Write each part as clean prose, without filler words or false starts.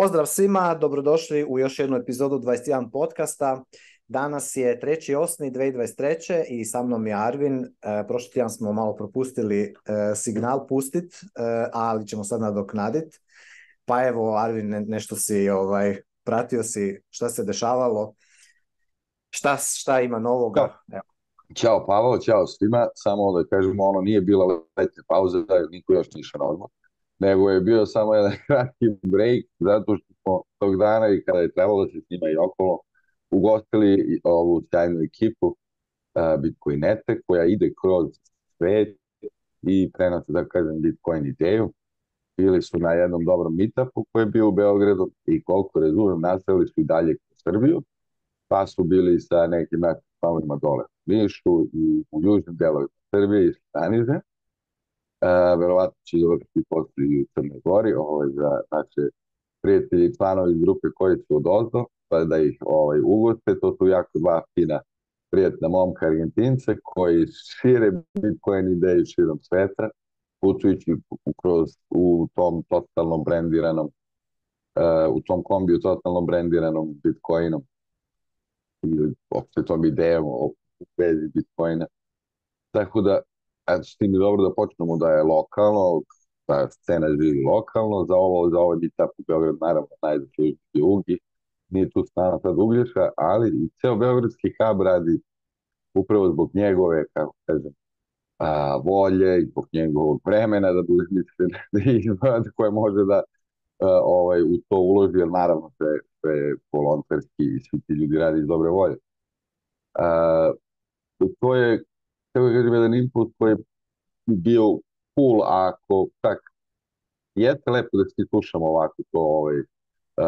Pozdrav svima, dobrodošli u još jednu epizodu 21 podcasta. Danas je 3.8.2023. i sa mnom je Arvin. Prošli tjedan smo malo propustili signal pustit, ali ćemo sad nadoknaditi. Pa evo, Arvin, nešto si pratio si šta se dešavalo, šta ima novoga? Evo. Ćao Pavao, ćao svima, samo da kažemo, nije bila letnja pauza, niko još nije išao na odmor, nego je bio samo jedan kratki break, zato što smo tog dana i kada je trebalo da se snima i okolo, ugostili ovu sjajnu ekipu Bitcoinete, koja ide kroz svet i prenosi, da kažem, Bitcoin ideju. Bili su na jednom dobrom meetupu koji je bio u Beogradu i koliko razumem, nastavili su i dalje u Srbiju, pa su bili sa nekim članovima dole u Nišu i u južnim delovima Srbije i Stanize. Verovatno će završiti posle i u Crnoj Gori za naše prijatelji i članovi iz grupe koji su odozdo, pa da ih ugoste. To su jako dva fina prijatna momka Argentince koji šire Bitcoin ideju širom sveta, putujući u tom totalno brendiranom, u tom kombiju totalno brendiranom Bitcoinom ili opšte tom idejom u vezi Bitcoina. Tako da, s tim je dobro da počnemo da je lokalno, da scena živi lokalno, za ovaj meetup u Beogradu, naravno, najzaslužiti Ugi, nije tu strana sad Uglješa, ali i ceo beogradski hub radi upravo zbog njegove, kako kažem, volje i zbog njegovog vremena, da bude iskren, koje može da u to uloži, jer naravno sve volonterski i svi ti ljudi radi iz dobre volje. To je, kako kažem, jedan input koji je bio cool, ako tak jeste lepo da svi slušamo ovako to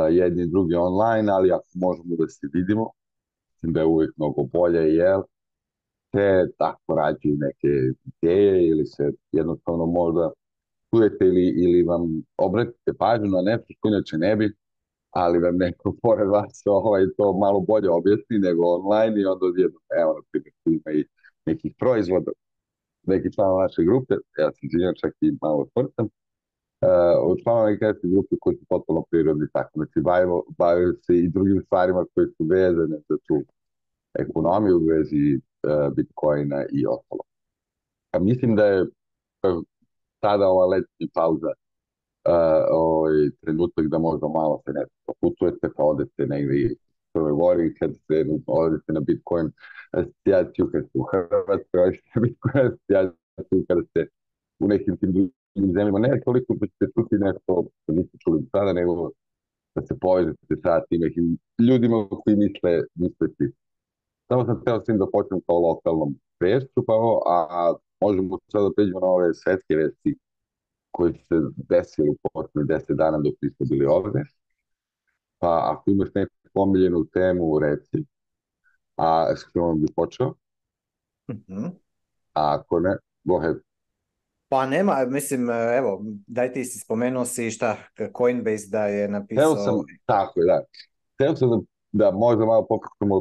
jedni i drugi online, ali ako možemo da se vidimo, mislim da je uvijek mnogo bolje, jer se tako rađaju neke ideje ili se jednostavno možda čujete ili vam obratite pažnju na nešto što inače ne bi, ali vam neko pored vas to malo bolje objasni nego online i onda odjedno, evo, na primjer, tu ima i nekih proizvoda, neki članova naše grupe, ja sam izvinjam, čak i malo tvrtam, od članova neke grupe koji su totalno prirodni, tako, znači bavaju se i drugim stvarima koji su vezane za tu ekonomiju u vezi Bitcoina i ostalo. Mislim da je tada ova letnja pauza trenutak da možda malo se nešto putujete, pa odete negdje u Crnoj Gori, kad se odete na Bitcoin asocijaciju, kad ste u Hrvatskoj, odete na Bitcoin asocijaciju, kada ste u nekim tim drugim zemljama, ne toliko da ćete čuti nešto što niste čuli sada, nego da se povežete sa tim nekim ljudima koji misle svi. Samo sam htio s tim da počnem kao lokalnom vešću, a možemo sada pređemo na ove svetske vesti koji su se desili u poslednjih 10 dana dok nismo bili ovde. Pa ako imaš neku omiljenu temu, reci. A s kojom bi počeo? A ako ne, go ahead. Pa nema, mislim, evo, daj ti si spomenuo si Coinbase da je napisao... Tako je, da. Hteo sam da možda malo popričamo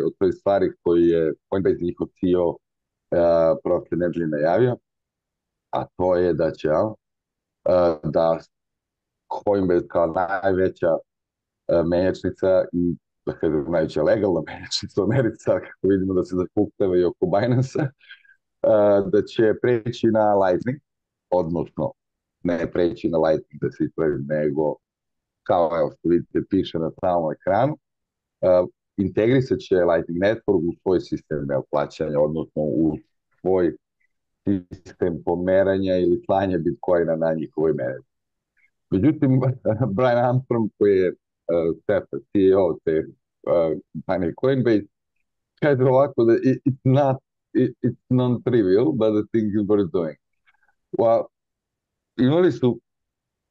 o toj stvari koji je Coinbase njihov CEO prošle nedelje najavio, a to je da će da Coinbase kao najveća menjačnica i da kažem najveća legalna menjačnica u Americi, kako vidimo da se zakuktava i oko Binance-a, da će preći na Lightning, odnosno ne preći na Lightning da se ispravi, nego kao što vidite piše na samom ekranu, integrisat će Lightning Network u svoj sistem plaćanja, odnosno u svoj sistem pomeranja ili slanja Bitcoina na njihovoj mreži. Međutim, Brian Armstrong, koji je CEO te kompanije Coinbase, kaže ovako da it's non-trivial, but the thing is worth doing. Imali su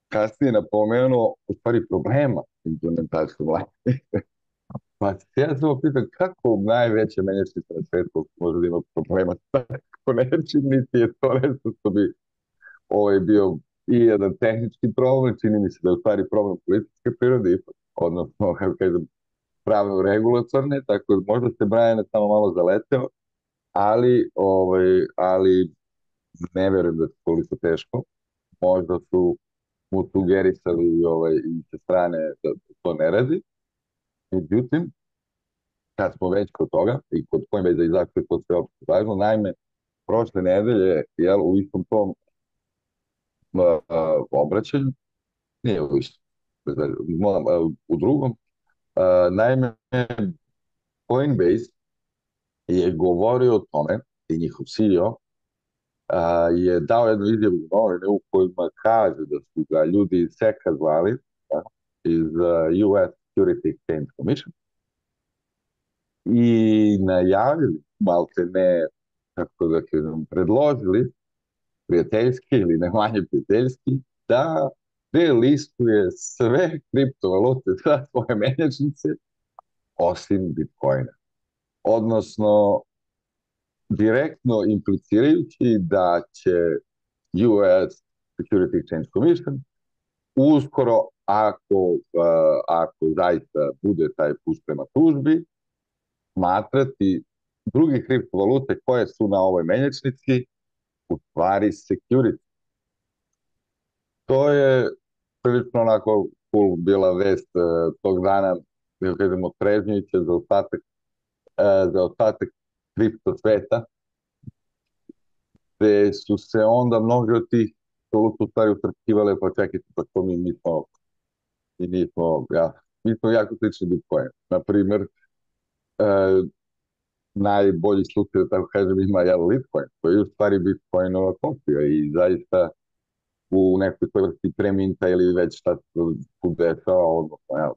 kasnije napomenuo u stvari problema implementacijom Lightning. Pa ja sam pitan kako najveća menjačnica na svetu može da ima problema s tako nečim, niti je to nešto što bi bio i jedan tehnički problem, čini mi se da je u stvari problem političke prirode, odnosno, kako kažem, pravno-regulatorne, tako da možda se Brian samo malo zaleteo, ali ne verujem da je toliko teško. Možda su mu sugerisali i sa strane da to ne radi. Međutim, kad smo već kod toga i kod Coinbase i zašto je to sve opšte važno, naime, prošle nedelje, jel, u istom tom obraćanju, nije u istom, u drugom, naime, Coinbase je govorio o tome i njihov CEO je dao jednu izjavu u novine u kojima kaže da su ga ljudi iz SEC-a zvali, iz US Security Exchange Commission, i najavili, malte ne, kako da kažem, predložili prijateljski ili ne manje prijateljski, da delistuje sve kriptovalute za svoje menjačnice osim Bitcoina. Odnosno, direktno implicirajući da će US Security Exchange Commission uskoro, ako zaista bude taj put prema tužbi, smatrati druge kriptovalute koje su na ovoj menjačnici u stvari security. To je prilično onako cool bila vest tog dana, da kažemo, trežnjujuća za ostatak kripto sveta, gde su se onda mnogi od tih valuta u stvari utrpkivale, pa čekajte, pa to mi smo jako slični Bitcoin. Naprimer, najbolji slučaj, da tako kažem, ima Litecoin, koji je u stvari Bitcoinova kopija i zaista u nekoj vrsti preminta ili već šta se dešava, odnosno,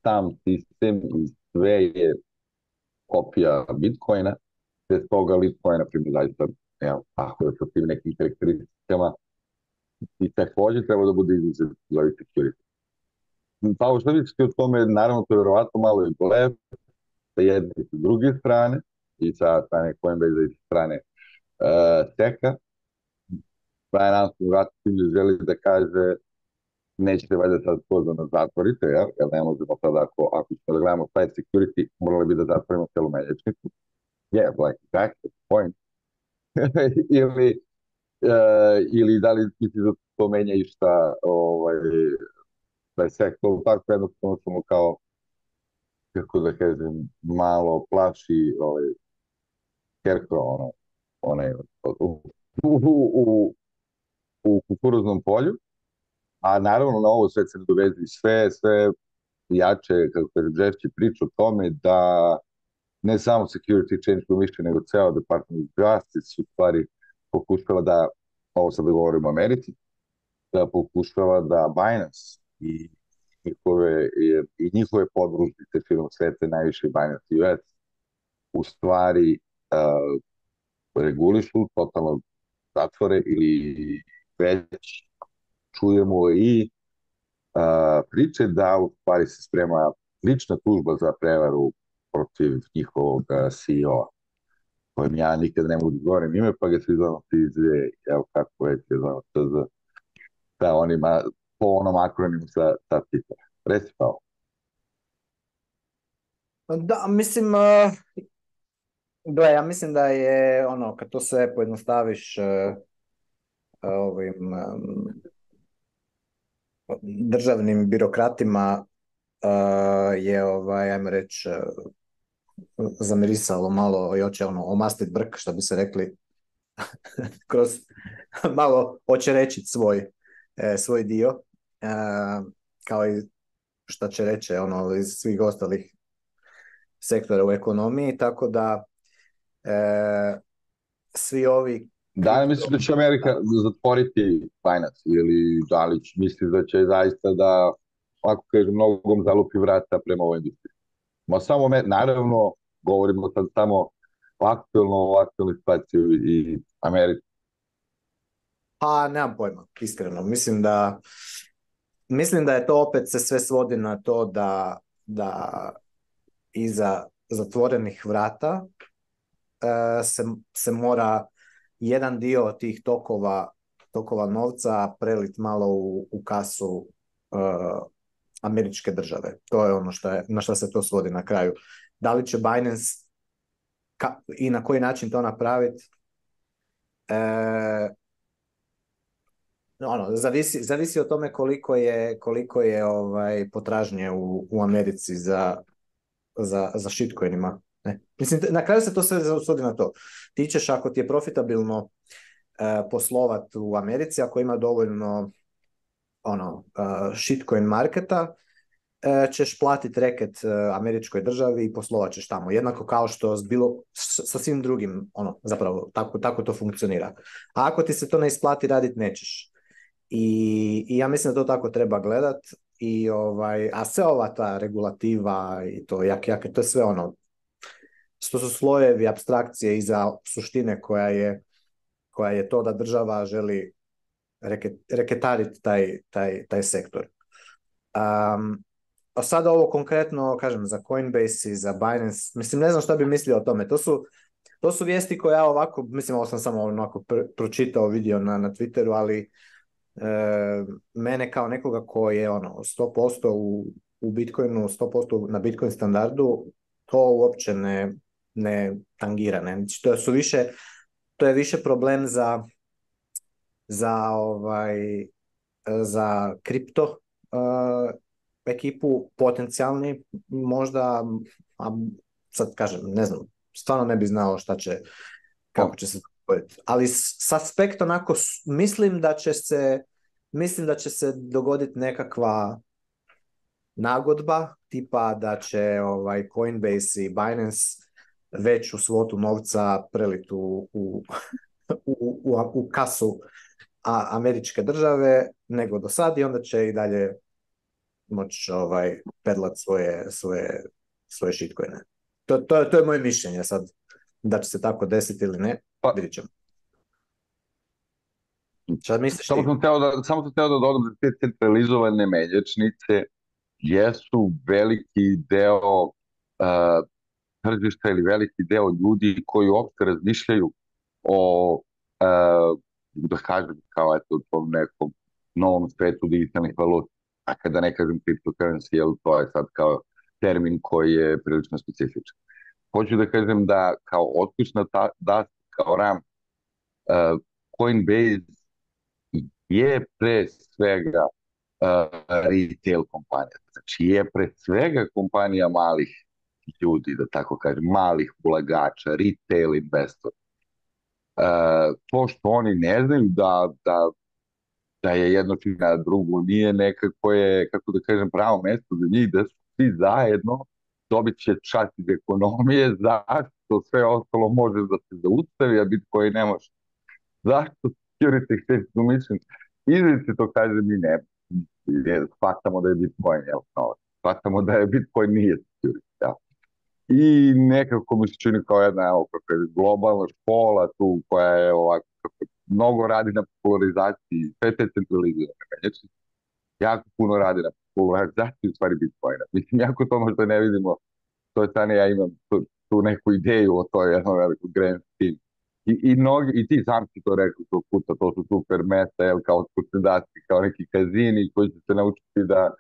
sam sistem i sve je kopija Bitcoina, te toga Litecoin, na primjer, zaista, ako je sa tim nekim karakteristikama, i takođe treba da bude izuzet za security. Pa u što vidite o tome, naravno, to je verovatno malo i blef, sa jedne i sa druge strane, i sa strane Coinbase i sa strane SEC-a. Brian Armstrong vratitelj želi da kaže nećete valjda sad to da nas zatvorite, jer ne možemo sad, ako ćemo da gledamo šta je security, morali bi da zatvorimo celu menjačnicu. Like, exactly, point. ili da li misli da to menja i šta, da je SEC to tako jednostavno samo kao, kako da kažem, malo plaši Scarecrow, u kukuruznom polju, a naravno na ovo sve se dovezi sve jače, kako kažem, žešće priče o tome da ne samo Security Exchange Commission, nego ceo Department of Justice u stvari pokušava da, ovo sad da govorimo o Americi, da pokušava da Binance i njihove podružnice širom sveta, najviše Binance US, u stvari regulišu, totalno zatvore ili već čujemo i priče da u stvari se sprema lična tužba za prevaru protiv njihovog CEO-a, kojem ja nikad ne mogu da govorim ime, pa ga svi znamo izve, evo kako već je znamo TZ, da onima, po onom akronimu sa tipa. Reci Pao. Da, mislim, ja mislim da je kad to sve pojednostaviš ovim državnim birokratima je, ajmo reći, zamirisalo malo i hoće omastit brk, što bi se rekli, kroz malo hoće reći svoj dio, kao i što će reći iz svih ostalih sektora u ekonomiji, tako da svi ovi... Da li misliš da će Amerika zatvoriti Binance ili da li misliš da će zaista da, ako kažem, nogom zalupi vrata prema ovoj industriji? Ma samo, naravno, govorimo sad samo o aktualnoj situaciji i Americi. Pa, nemam pojma, iskreno. Mislim da je to opet se sve svodi na to da iza zatvorenih vrata se mora jedan dio tih tokova novca prelit malo u kasu američke države. To je ono na što se to svodi na kraju. Da li će Binance i na koji način to napraviti? ono, zavisi od tome koliko je potražnje u Americi za shitcoinima. Ne? Mislim, na kraju se to sve svodi na to. Ti ćeš, ako ti je profitabilno poslovat u Americi, ako ima dovoljno shitcoin marketa, ćeš platiti reket američkoj državi i poslovat ćeš tamo. Jednako kao što sa svim drugim, zapravo, tako to funkcionira. A ako ti se to ne isplati raditi, nećeš. I ja mislim da to tako treba gledat. A sve ova ta regulativa i to to je sve što su slojevi apstrakcije iza suštine koja je to da država želi reketariti taj sektor. A sada ovo konkretno, kažem, za Coinbase i za Binance, mislim, ne znam šta bi mislio o tome. To su vijesti koje ja ovako, mislim, ovo sam samo onako pročitao, vidio na Twitteru, ali mene kao nekoga ko je 100% u Bitcoinu, 100% na Bitcoin standardu, to uopće ne tangira. Ne? To je više problem za kripto ekipu, potencijalni možda, a sad kažem, ne znam, stvarno ne bi znao kako će se dogoditi. Ali s aspekt onako, mislim da će se dogoditi nekakva nagodba, tipa da će Coinbase i Binance veću svotu novca preliti u kasu američke države nego do sad i onda će i dalje moći pedlat svoje shitcoine. To je moje mišljenje sad, da će se tako desiti ili ne, vidit ćemo. Šta misliš ti? Samo sam hteo da dodam da te centralizovane menjačnice jesu veliki deo tržišta ili veliki deo ljudi koji uopšte razmišljaju o, da kažem, kao eto, tom nekom novom svetu digitalnih valuta. A kada ne kažem cryptocurrency, jer to je sad kao termin koji je prilično specifičan. Hoću da kažem da kao otkućna kao RAM, Coinbase je pre svega retail kompanija. Znači je pre svega kompanija malih ljudi, da tako kažem, malih ulagača, retail investor. To što oni ne znaju da je jedno čina drugo, nije nekako je, kako da kažem, pravo mesto za njih, da su svi zajedno dobit će čast iz ekonomije, zašto sve ostalo može da se zaustavi, a Bitcoin ne može. Zašto security exchange commission izričito kaže mi ne, shvatamo da je Bitcoin, shvatamo da je Bitcoin nije security, ja. I nekako mi se čini kao jedna globalna škola tu koja je ovako, mnogo radi na popularizaciji, sve te centralizirane menjačnice, jako puno radi na popularizaciji u stvari Bitcoina. Mislim, jako to možda ne vidimo, to je stane, ja imam tu neku ideju o toj jednom velikom grand scheme. I ti sam si to rekao tog puta, to su super mesta, kao skucendaci, kao neki kazini koji će se naučiti da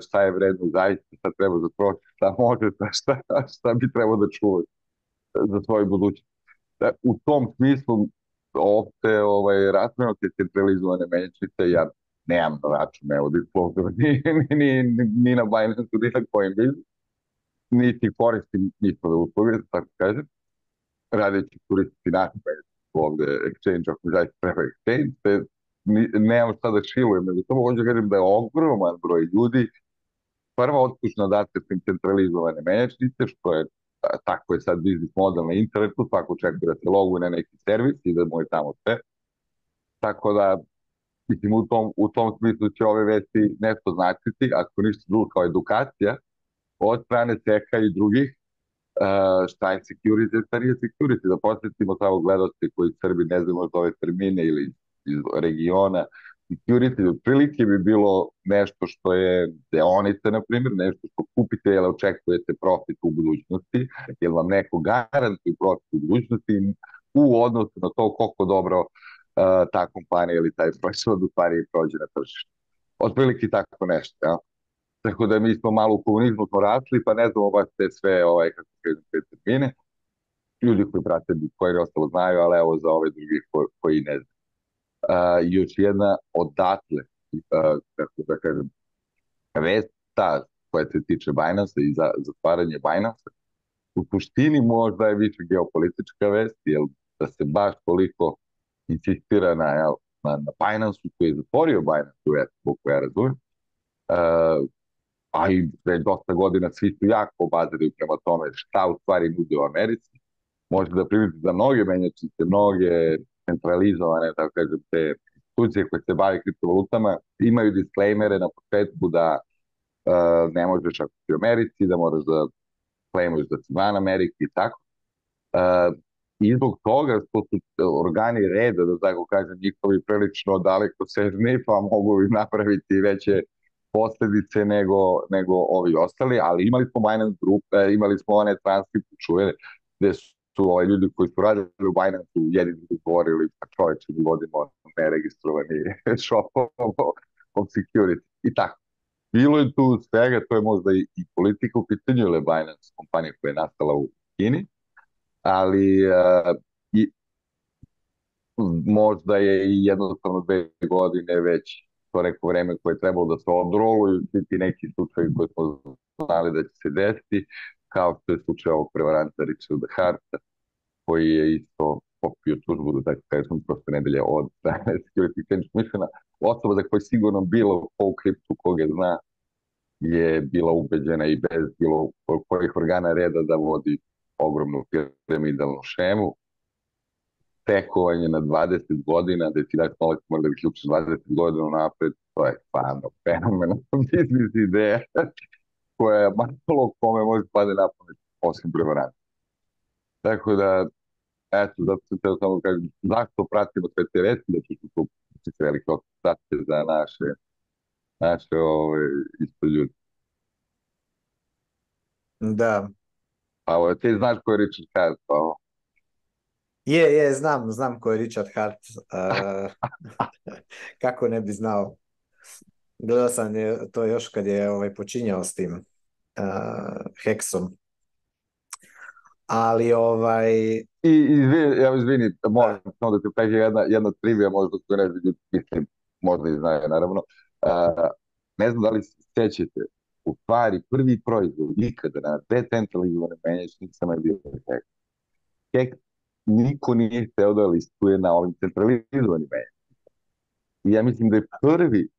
šta je vredno zaista, šta treba da proći, šta može, šta bi trebao da čuva za svoju budućnost. U tom smislu opšte razmeno te centralizovane menjačnice, ja nemam na račun, evo, Disclosure, ni na Binance, ni na Coinbase, niti koristim njihove usluge, tako kažem, radeći koristiti naši ovde exchange, ako zaista treba exchange, te nemam šta da šilujem, nego samo hoću da kažem da je ogroman broj ljudi prva otkućna data su centralizovane menjačnice, što je tako je sad biznis model na internetu, svako očekuje da se loguje na neki servis i da mu je tamo sve. Tako da, mislim, u tom smislu će ove vesti nešto značiti, ako ništa drugo kao edukacija, od strane SEC-a i drugih, šta je security, šta nije security, da posjetimo samo gledosti koji Srbi ne znamo za ove termine ili iz regiona. Security otprilike bi bilo nešto što je deonice, na primjer, nešto što kupite jer očekujete profit u budućnosti, jer vam neko garantuje profit u budućnosti u odnosu na to koliko dobro ta kompanija ili taj proizvod u stvari prođe na tržištu. Otprilike tako nešto, ja. Tako da mi smo malo u komunizmu smo rasli, pa ne znamo baš te sve, kako kažem, te termine. Ljudi koji prate Bitcoin ostalo znaju, ali evo za ove drugi koji ne znaju. Još jedna odatle, kako da kažem, vest ta koja se tiče Binance i za zatvaranje Binance, u suštini možda je više geopolitička vest, jer da se baš toliko insistira na Binance koji je zatvorio Binance u koliko ja razumem, a i već dosta godina svi su jako obaziraju prema tome šta u stvari nude u Americi. Možete da primetite da mnoge menjačnice, mnoge centralizovane, tako kažem, te institucije koje se bave kriptovalutama imaju disclaimere na početku da ne možeš ako si u Americi, da moraš da claimuješ da si van Amerike i tako. I zbog toga što su organi reda, da tako kažem, njihovi prilično daleko sežni, pa mogu im napraviti veće posledice nego ovi ostali, ali imali smo Binance Group, imali smo one transkripte čuvene, gde su ljudi koji su radili u Binance-u jedini govorili, pa čoveče, mi vodimo neregistrovani shop of security i tako. Bilo je tu svega, to je možda i politika u pitanju, ili Binance kompanija koja je nastala u Kini, ali možda je i jednostavno 2 godine već to neko vreme koje je trebalo da se odroluju, ti neki slučaji koji smo znali da će se desiti, kao što je slučaj ovog prevaranta Richarda Harta, koji je isto popio tužbu, da tako kažem, prošle nedelje od Security Exchange Commissiona. Osoba za koju sigurno bilo ko u kriptu koga zna je bila ubeđena i bez bilo kojih organa reda da vodi ogromnu piramidalnu šemu. Tekovanje na 20 godina, da ti daš nolak mora da ključiš 20 godina napred, to je stvarno fenomenalna biznis ideja koja je malo kome može pade na pamet osim prevaranta. Tako da, eto, zato sam teo samo kažem, zašto pratimo sve te vesti, da ću tu velike okrutacije za naše isto ljudi. Da. Pa ti znaš ko je Richard Hart, pa ovo? Znam ko je Richard Hart. Kako ne bi znao. Gledao sam to još kad je počinjao s tim Hexom. Ali izvini, moram samo da ti pređe jedna trivija, možda koju ne znam, mislim, možda i znaju, naravno. Ne znam da li se sećate, u stvari prvi proizvod nikada na decentralizovanim menjačnicama je bio Hex. Hex niko nije hteo da listuje na ovim centralizovanim menjačnicama. I ja mislim da je prvi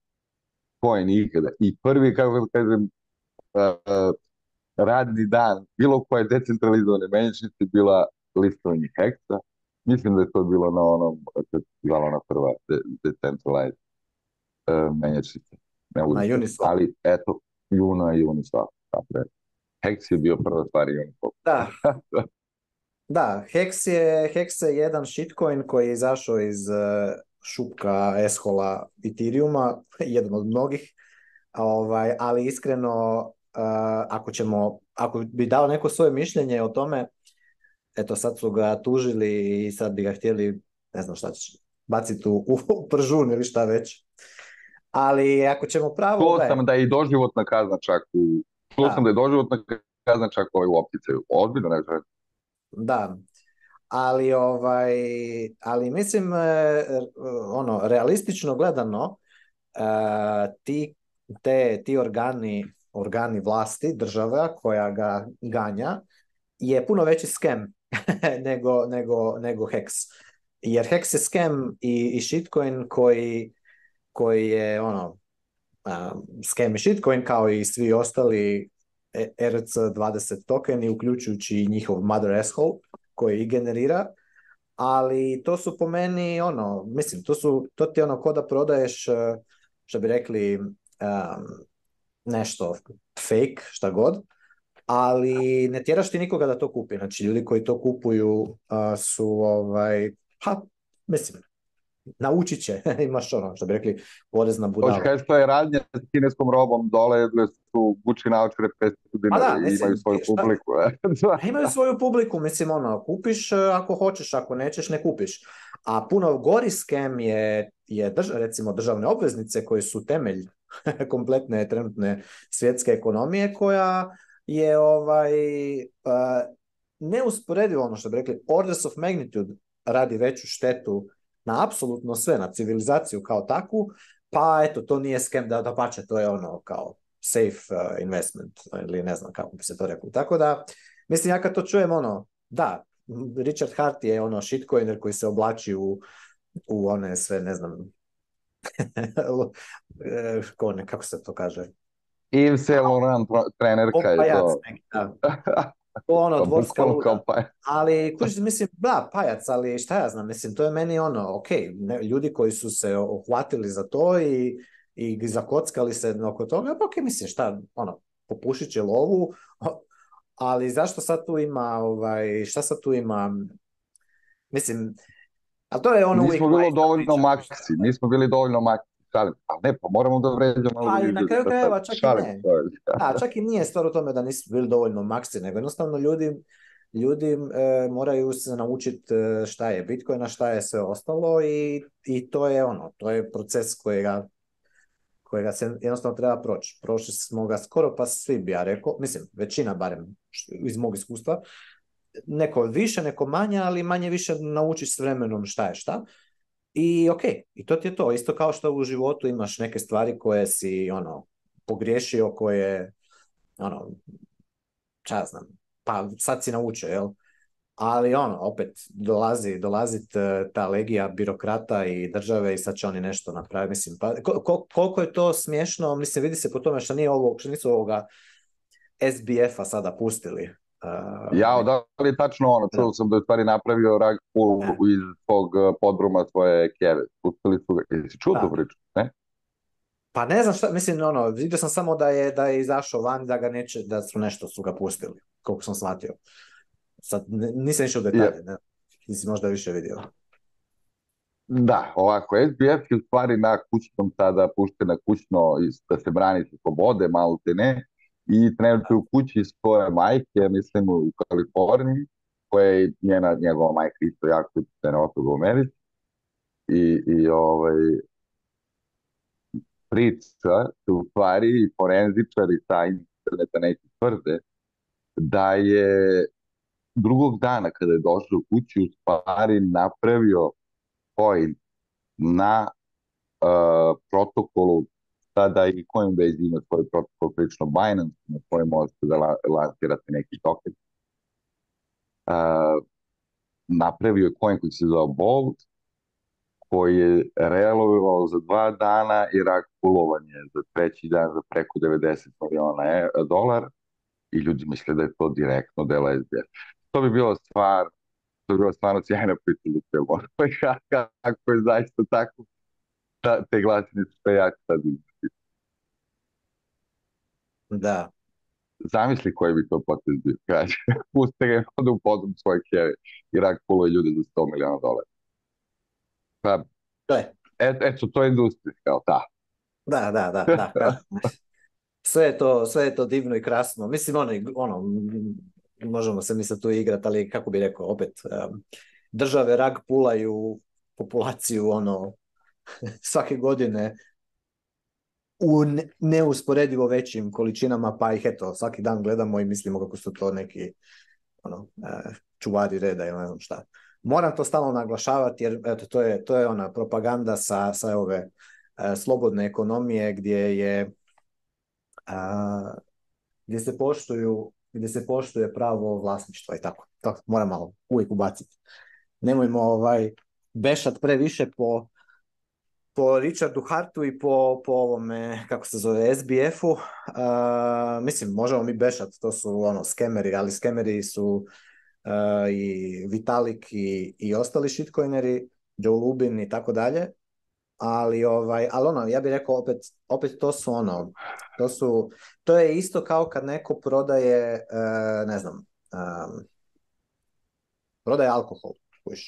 coin ikada i prvi, kako da kažem, radni dan bilo koje decentralizovane menjačnice bila listovanje Hexa. Mislim da je to bilo na onom, bila ona prva decentralized menjačnica. Na Uniswap. Ali eto, Luna i Uniswap. Hex je bio prva stvar i Uniswap. Da, Hex je jedan shitcoin koji je izašao iz šupka eshola Ethereuma, jedan od mnogih, ali iskreno ako bi dao neko svoje mišljenje o tome, eto sad su ga tužili i sad bi ga htjeli, ne znam šta će, baciti u pržun ili šta već. Ali ako ćemo pravo... Čuo sam da je i doživotna kazna čak u opticaju. Ozbiljno ne znam. Da, ali mislim, realistično gledano, ti organi vlasti, država koja ga ganja, je puno veći scam nego Hex. Jer Hex je scam i shitcoin koji je scam i shitcoin kao i svi ostali ERC-20 tokeni, uključujući njihov mother asshole koji ih generira, ali to su po meni mislim, to ti je ko da prodaješ, što bi rekli, nešto fake, šta god, ali ne tjeraš ti nikoga da to kupi. Znači, ljudi koji to kupuju su, mislim, naučit će, imaš što bi rekli, porezna budala. Hoće kažeš, to je radnja s kineskom robom dole, gde su Gucci naočare 500 dinara i imaju svoju publiku. Imaju svoju publiku, mislim, kupiš ako hoćeš, ako nećeš, ne kupiš. A puno gori scam je recimo državne obveznice koje su temelj kompletne trenutne svjetske ekonomije, koja je neusporedivo, što bi rekli, orders of magnitude radi veću štetu na apsolutno sve, na civilizaciju kao takvu, pa eto, to nije scam, da pače, to je ono kao safe investment, ili ne znam kako bi se to reklo. Tako da, mislim, ja kad to čujem, ono, da, Richard Hart je ono shitcoiner koji se oblači u one sve, ne znam, kako se to kaže? Yves Saint Laurent trenerka je Pajac to. neki, da. To ono, dvorska luda. Pajac. Ali, kužiš, mislim, da, pajac, ali šta ja znam, mislim, to je meni ono, ok, ljudi koji su se uhvatili za to i zakockali se oko toga, pa ok, mislim, šta, ono, popušit će lovu, ali zašto sad tu ima, šta sad tu ima, mislim, ali to je ono uvijek... Nismo bili dovoljno maksi, šalim, ali ne, pa moramo da vređamo malo Pa i ljudi. na kraju krajeva čak i ne. Da, čak i nije stvar u tome da nisu bili dovoljno maksi, nego jednostavno ljudi moraju se naučiti šta je Bitcoin, a šta je sve ostalo i to je ono, to je proces kojega se jednostavno treba proći. Prošli smo ga skoro pa svi, bi ja rekao, mislim, većina barem iz mog iskustva, neko više, neko manje, ali manje više naučiš s vremenom šta je šta. I ok, i to ti je to. Isto kao što u životu imaš neke stvari koje si ono pogriješio, koje ono, ča znam, pa sad si naučio, jel? Ali ono, opet dolazi ta legija birokrata i države i sad će oni nešto napraviti. Mislim, pa koliko je to smiješno, mislim, vidi se po tome što nisu ovoga SBF-a sada pustili. Da li je tačno ono, čuo sam da je stvari napravio rug pull iz tog podruma svoje keve. Pustili su ga, jesi čuo tu priču, ne? Pa ne znam šta, mislim, ono, vidio sam samo da je izašao van, da ga neće, da su nešto su ga pustili, koliko sam shvatio. Sad, nisam išao u detalje, ne? Ti si možda više vidio. Da, ovako, SBF je u stvari na kućnom sada pušten na kućno da se brani sa slobode, malo te ne, i trenutno u kući svoje majke, mislim u Kaliforniji, koja je njegova majka isto jako utjecajna osoba u Americi, i priča se u stvari i forenzičari sa interneta neki tvrde da je drugog dana kada je došao u kući u stvari napravio coin na protokolu, sada i Coinbase ima svoj protokol, prilično Binance, na kojem možete da lansirate neki token. Napravio je coin koji se zove Bolt, koji je realizovao za 2 dana i rak pulovanje za treći dan za preko 90 miliona dolara i ljudi misle da je to direktno delo SBF. To bi bilo stvarno sjajna priča za sve ono. Kako je zaista tako, te glasine su sve jako sad izgledati. Da. Zamisli koji bi to potez bio, kaže. Puste ga onda u podrum svoje kjeve i rak puluje ljude za 100 miliona dolara. Pa, eto, to je industrija, kao ta. Da. Sve je to divno i krasno. Mislim, ono možemo se mi sad tu igrati, ali kako bi rekao, opet, države rag pulaju populaciju, svake godine u neusporedivo većim količinama, pa ih eto, svaki dan gledamo i mislimo kako su to neki čuvari reda ili ne znam šta. Moram to stalno naglašavati jer eto, to je ona propaganda sa ove slobodne ekonomije gdje se poštuje pravo vlasništva i tako. To moram malo uvijek ubaciti. Nemojmo bešat previše po Richardu Hartu i po ovome, kako se zove, SBF-u. Mislim, možemo mi bešat, to su skemeri, ali skemeri su i Vitalik i ostali shitcoineri, Joe Lubin i tako dalje. Ali ja bih rekao opet to je isto kao kad neko prodaje, ne znam, prodaje alkohol,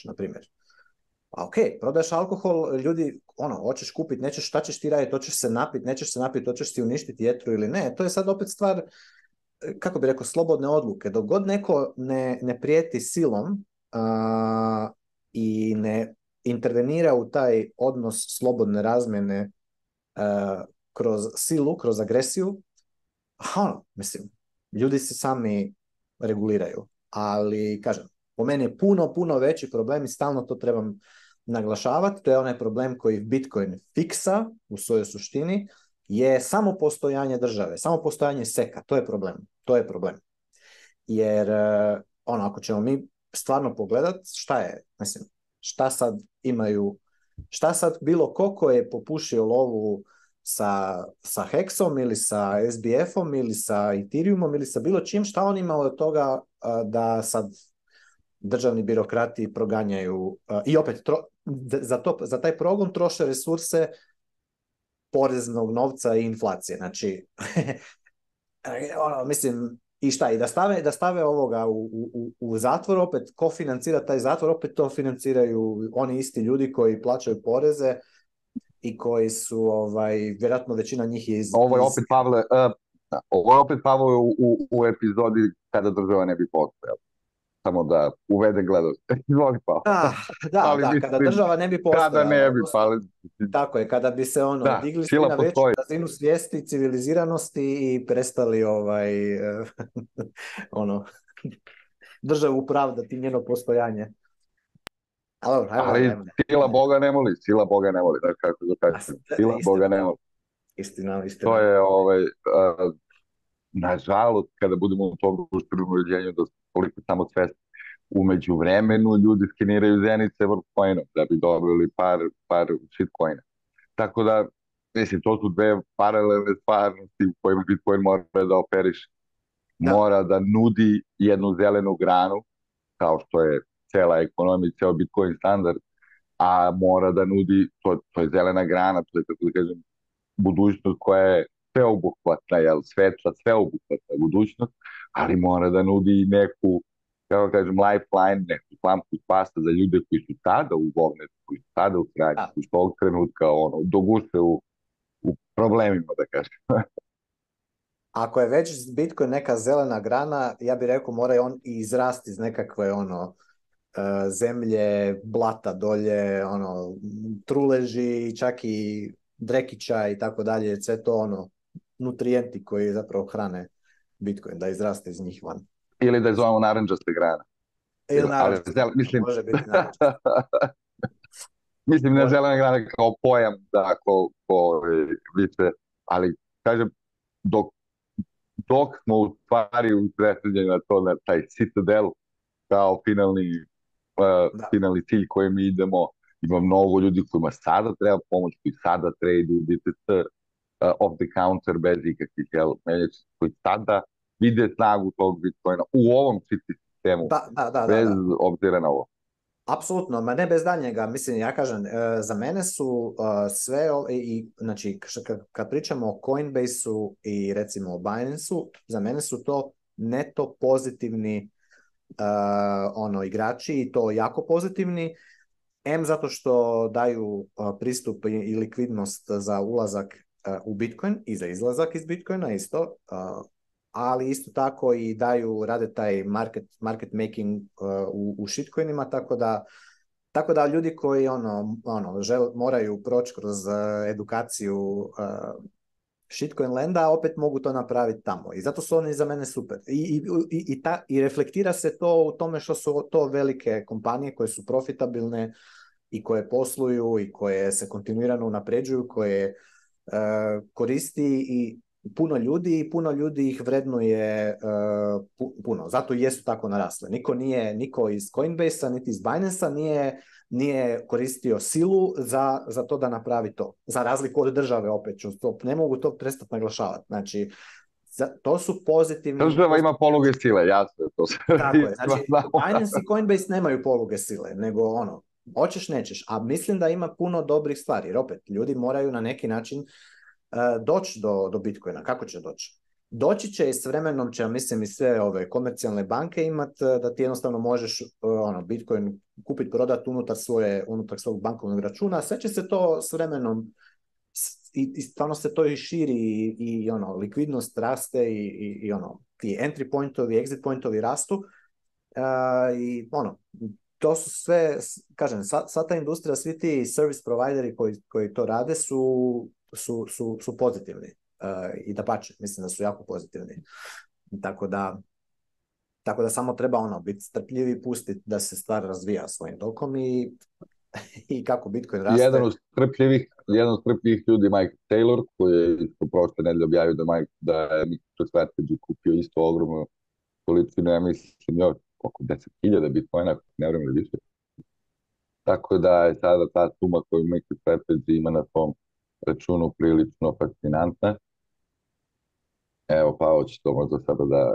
na primjer. A ok, prodaješ alkohol, ljudi, hoćeš kupiti, nećeš, šta ćeš ti raditi, hoćeš se napiti, nećeš se napiti, hoćeš si uništiti jetru ili ne, to je sad opet stvar, kako bi rekao, slobodne odluke. Dok god neko ne prijeti silom i ne intervenira u taj odnos slobodne razmjene kroz silu, kroz agresiju, mislim, ljudi se sami reguliraju. Ali, kažem, po meni je puno veći problem i stalno to trebam naglašavati, to je onaj problem koji Bitcoin fiksa u svojoj suštini, je samo postojanje države, samo postojanje seka, to je problem, to je problem. Jer ako ćemo mi stvarno pogledati šta je, mislim, šta sad imaju, šta sad bilo ko je popušio lovu sa Hexom ili sa SBF-om ili sa Ethereumom ili sa bilo čim, šta on ima od toga da sad državni birokrati proganjaju i opet za taj progon troše resurse poreznog novca i inflacije. Znači, mislim, i šta, i da stave ovoga u zatvor, opet, ko financira taj zatvor, opet to financiraju oni isti ljudi koji plaćaju poreze i koji su, vjerojatno većina njih je Ovo je opet, Pavle, u epizodi kada država ne bi postojala. Samo da uvede gledanost. Izvoli, Pavle. Da, kada država ne bi postojala. Kada ne bi, Pavle. Tako je, kada bi se digli svi na veću razinu svijesti, civiliziranosti i prestali državu pravdati njeno postojanje. Ali sila Boga ne moli, sila Boga ne moli. Kako da kažem, sila Boga ne moli. Istina. To je, nažalost, kada budemo u tom društvenom uređenju, da koliko samo svesti. U međuvremenu ljudi skeniraju zenice Worldcoinom da bi dobili par shitcoina. Tako da, mislim, to su dve paralelne stvarnosti u kojima Bitcoin mora da operiše. Mora da nudi jednu zelenu granu, kao što je cela ekonomija, ceo Bitcoin standard, a mora da nudi, to je zelena grana, to je, tako da kažem, budućnost koja je sveobuhvatna, svetla, sveobuhvatna budućnost, ali mora da nudi i neku, kako kažem, lifeline, neku slamku spasa za ljude koji su tada u govnetu, koji su tada u sranju, koji su ovog trenutka doguše u problemima, da kažem. Ako je već Bitcoin neka zelena grana, ja bih rekao mora on i izrasti iz nekakve zemlje, blata dolje, truleži, čak i drekića i tako dalje, sve to nutrijenti koji zapravo hrane Bitcoin, da izraste iz njih van. Ili da je zovemo naranđaste grane. Ili naranđaste grane, može biti naranđaste. Mislim, ne zelena grana kao pojam, da, ko više, ali kažem, dok smo u stvari usredsređeni na to, na taj Citadel, kao finalni cilj kojem mi idemo, ima mnogo ljudi kojima sada treba pomoć, koji sada traduju BTC off the counter bez ikakvih menjača, koji sada vide snagu tog Bitcoina u ovom sistemu, bez obzira na ovo. Apsolutno, ma ne bez daljnjega. Mislim, ja kažem, za mene su sve, znači, kad pričamo o Coinbase-u i recimo o Binance-u, za mene su to neto pozitivni igrači i to jako pozitivni. Zato što daju pristup i likvidnost za ulazak u Bitcoin i za izlazak iz Bitcoina isto, ali isto tako i rade taj market making u shitcoinima, tako da ljudi koji moraju proći kroz edukaciju shitcoin lenda, opet mogu to napraviti tamo. I zato su oni za mene super. I reflektira se to u tome što su to velike kompanije koje su profitabilne i koje posluju i koje se kontinuirano unapređuju, koje koristi i puno ljudi ih vrednuje puno. Zato i jesu tako narasle. Niko iz Coinbase-a niti iz Binance-a nije koristio silu za to da napravi to. Za razliku od države, opet ću to, ne mogu to prestati naglašavati. Znači, to su pozitivni... Država ima poluge sile, jasno. Tako je. Znači, Binance i Coinbase nemaju poluge sile, nego hoćeš, nećeš. A mislim da ima puno dobrih stvari. Jer opet, ljudi moraju na neki način doći do Bitcoina. Kako će doći? Doći će i s vremenom će, mislim, i sve ove komercijalne banke imati da ti jednostavno možeš Bitcoin kupiti, prodati unutar svog bankovnog računa. Sve će se to s vremenom i stvarno se to i širi i likvidnost raste i ti entry pointovi, exit pointovi rastu i to su sve, kažem, sva ta industrija, svi ti service provideri koji to rade su pozitivni i dapače, mislim da su jako pozitivni. Tako da samo treba biti strpljivi, pustiti da se stvar razvija svojim tokom i i kako Bitcoin I raste. jedan od strpljivih ljudi, Mike Taylor, koji je isto prošle nedelje objavio da je MicroStrategy kupio isto ogromnu količinu, ja mislim, još oko 10.000 bitcoina, ne vreme ili više. Tako da je sada ta suma koju MicroStrategy ima na tom računu prilično fascinantna. Evo, Pavo će to možda sada da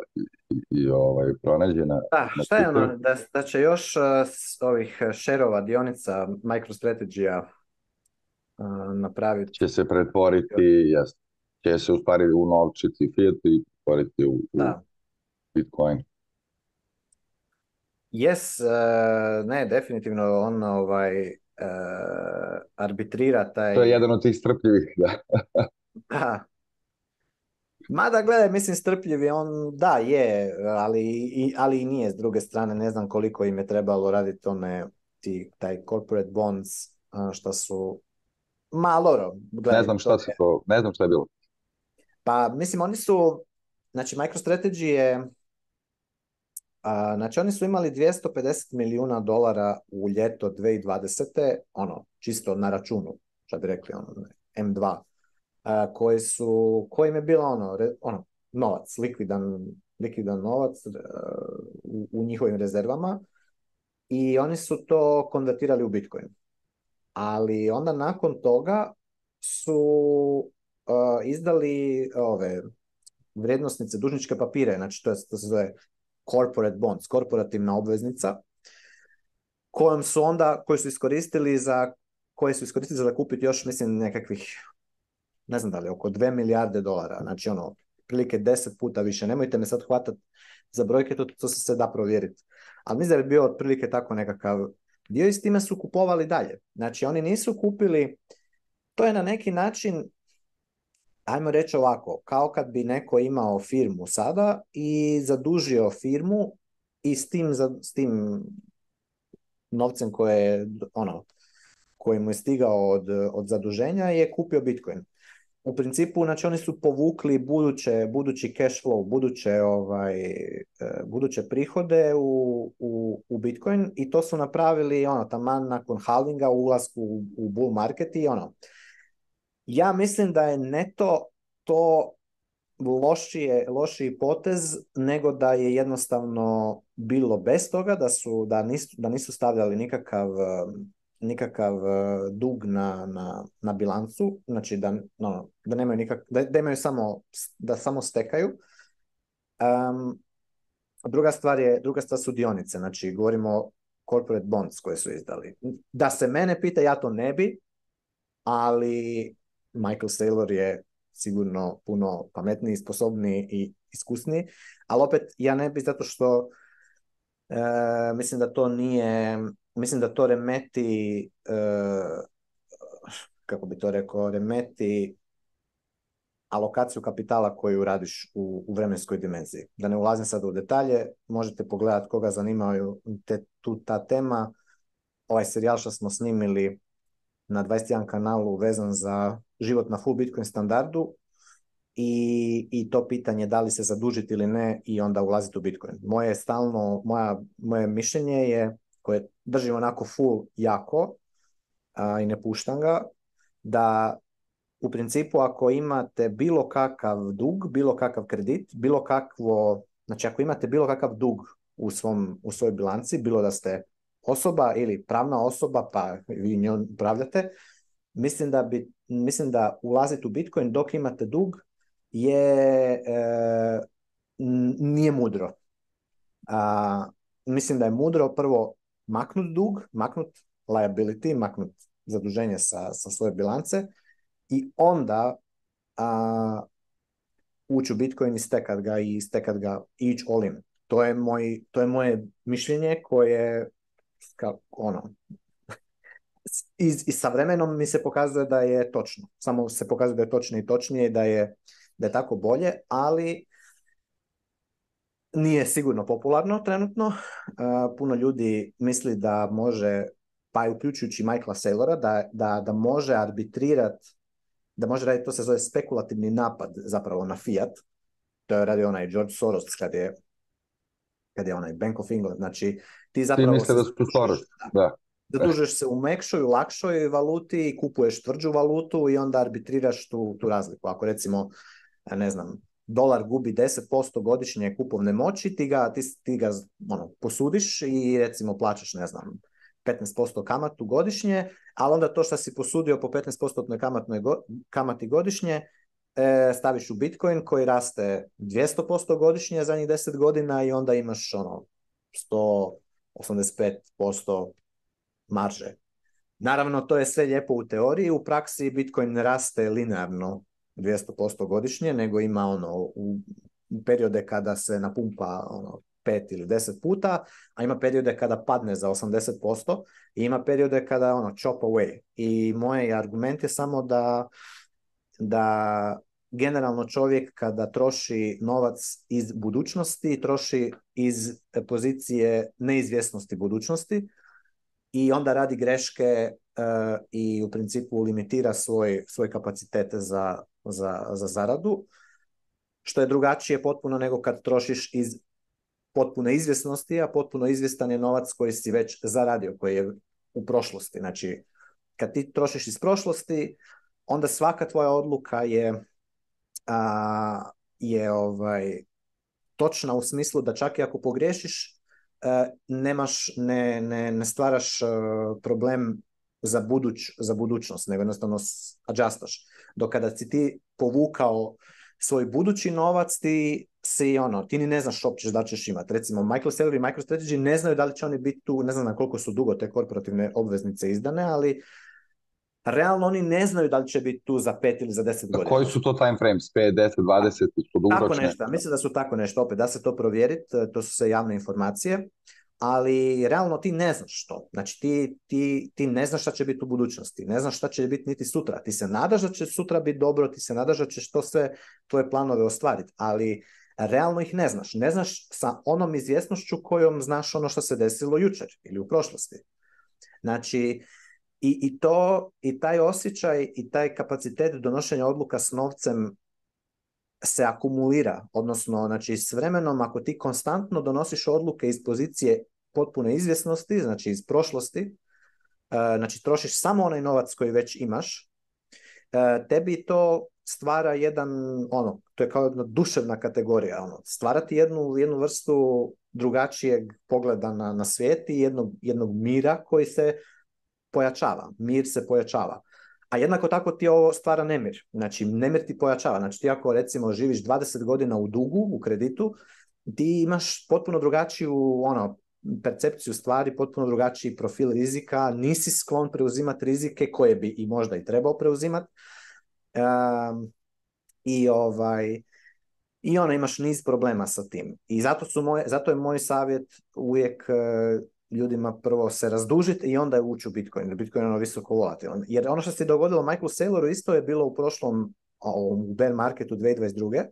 pronađe Da, na šta je Twitteru. ono, da će još s ovih šerova dionica MicroStrategy-a napraviti. Će se pretvoriti, će se u stvari unovčiti fiat i pretvoriti u Da. Bitcoin. Yes, ne, definitivno on arbitrira taj... To je jedan od tih strpljivih, da. Da. Mada gledaj, mislim strpljiv je on, da je, ali i nije s druge strane, ne znam koliko im je trebalo raditi taj corporate bonds, što su malo, gledaj, ne znam šta je bilo. Pa mislim oni su, znači MicroStrategy je, znači oni su imali $250 milijuna u ljeto 2020. Ono, čisto na računu, što bi rekli, ono, M2. Kojim je bilo ono novac, likvidan novac u njihovim rezervama i oni su to konvertirali u Bitcoin. Ali onda nakon toga su izdali ove vrijednosnice, dužničke papire, znači to se zove corporate bonds, korporativna obveznica, koje su iskoristili za kupiti još, mislim, nekakvih, ne znam da li, oko 2 milijarde dolara, znači ono, prilike 10 puta više. Nemojte me sad hvatati za brojke, to se da provjeriti. Ali mislim da bi bio otprilike tako nekakav dio i s time su kupovali dalje. Znači oni nisu kupili, to je na neki način, ajmo reći ovako, kao kad bi neko imao firmu sada i zadužio firmu i s tim novcem koji mu je stigao od zaduženja je kupio Bitcoin. U principu, znači oni su povukli budući cash flow, buduće prihode u Bitcoin i to su napravili taman nakon halvinga, ulasku u bull market i Ja mislim da je neto to lošiji potez nego da je jednostavno bilo bez toga, da nisu stavljali nikakav dug na bilancu, znači da nemaju da imaju samo stekaju. Druga stvar su dionice, znači govorimo o corporate bonds koje su izdali. Da se mene pita, ja to ne bi, ali Michael Saylor je sigurno puno pametniji, sposobniji i iskusniji, ali opet ja ne bi zato što mislim da to nije, mislim da to remeti, kako bi to rekao, remeti alokaciju kapitala koju radiš u vremenskoj dimenziji. Da ne ulazim sad u detalje, možete pogledati koga zanimaju ta tema. Ovaj serijal što smo snimili na 21 kanalu vezan za život na full Bitcoin standardu i to pitanje da li se zadužiti ili ne i onda ulaziti u Bitcoin. Moje mišljenje je, koje držim onako full jako i ne puštam ga, da u principu ako imate bilo kakav dug, bilo kakav kredit, znači ako imate bilo kakav dug u svojoj bilanci, bilo da ste osoba ili pravna osoba, pa vi njom upravljate, mislim da ulaziti u Bitcoin dok imate dug nije mudro. Mislim da je mudro prvo maknut dug, maknut liability, maknut zaduženje sa svoje bilance i onda ući u Bitcoin i stekat ga i ići all in. To je moje mišljenje koje i sa vremenom mi se pokazuje da je točno. Samo se pokazuje da je točno i točnije, da je tako bolje, ali nije sigurno popularno trenutno. Puno ljudi misli da može, pa i uključujući Michaela Saylora, da može arbitrirati, da može raditi, to se zove spekulativni napad zapravo na fiat. To je radio onaj George Soros kad je onaj Bank of England. Znači, ti zapravo... Ti misle da su Soros, da. Zadužuješ se u mekšoj, u lakšoj valuti i kupuješ tvrđu valutu i onda arbitriraš tu razliku. Ako recimo, ne znam, dolar gubi 10% godišnje kupovne moći, ti ga posudiš i recimo plaćaš, ne znam, 15% kamatu godišnje, ali onda to što si posudio po 15% kamati godišnje staviš u Bitcoin koji raste 200% godišnje zadnjih 10 godina i onda imaš 185% marže. Naravno, to je sve lijepo u teoriji, u praksi Bitcoin ne raste linearno 200% godišnje, nego ima u periode kada se napumpa 5 ili 10 puta, a ima periode kada padne za 80% i ima periode kada chop away. I moj argument je samo da generalno čovjek kada troši novac iz budućnosti, troši iz pozicije neizvjesnosti budućnosti i onda radi greške i u principu limitira svoj kapacitet za zaradu, što je drugačije potpuno nego kad trošiš iz potpune izvjesnosti, a potpuno izvjestan je novac koji si već zaradio, koji je u prošlosti. Znači, kad ti trošiš iz prošlosti, onda svaka tvoja odluka je točna u smislu da čak i ako pogriješiš, ne stvaraš problem za budućnost, nego jednostavno adjustaš. Dok kada si ti povukao svoj budući novac, ti ni ne znaš uopće da ćeš imati. Recimo, Michael Saylor i MicroStrategy ne znaju da li će oni biti tu, ne znam na koliko su dugo te korporativne obveznice izdane, ali realno oni ne znaju da li će biti tu za 5 ili za 10 godina. Koji su to time frames? 5, 10, 20? Su dugoročne? Tako nešto. Mislim da su tako nešto. Opet, da se to provjeriti. To su sve javne informacije. Ali realno ti ne znaš što. Znači ti ne znaš šta će biti u budućnosti. Ne znaš šta će biti niti sutra. Ti se nadaš da će sutra biti dobro. Ti se nadaš da ćeš to sve tvoje planove ostvariti. Ali realno ih ne znaš. Ne znaš sa onom izvjesnošću kojom znaš ono što se desilo jučer ili u prošlosti. Znači, i taj osjećaj i taj kapacitet donošenja odluka s novcem se akumulira, odnosno znači, s vremenom ako ti konstantno donosiš odluke iz pozicije potpune izvjesnosti, znači iz prošlosti, znači trošiš samo onaj novac koji već imaš, tebi to stvara to je kao jedna duševna kategorija, stvarati jednu vrstu drugačijeg pogleda na svijet i jednog mira koji se pojačava, mir se pojačava. A jednako tako ti ovo stvara nemir. Znači, nemir ti pojačava. Znači, ti ako recimo živiš 20 godina u dugu, u kreditu, ti imaš potpuno drugačiju percepciju stvari, potpuno drugačiji profil rizika, nisi sklon preuzimati rizike koje bi i možda i trebao preuzimati. Imaš niz problema sa tim. I zato je moj savjet uvijek ljudima prvo se razdužiti i onda ući u Bitcoin. Bitcoin je visoko volatilan. Jer ono što se dogodilo Michaelu Sayloru isto je bilo u prošlom u bear marketu 2022.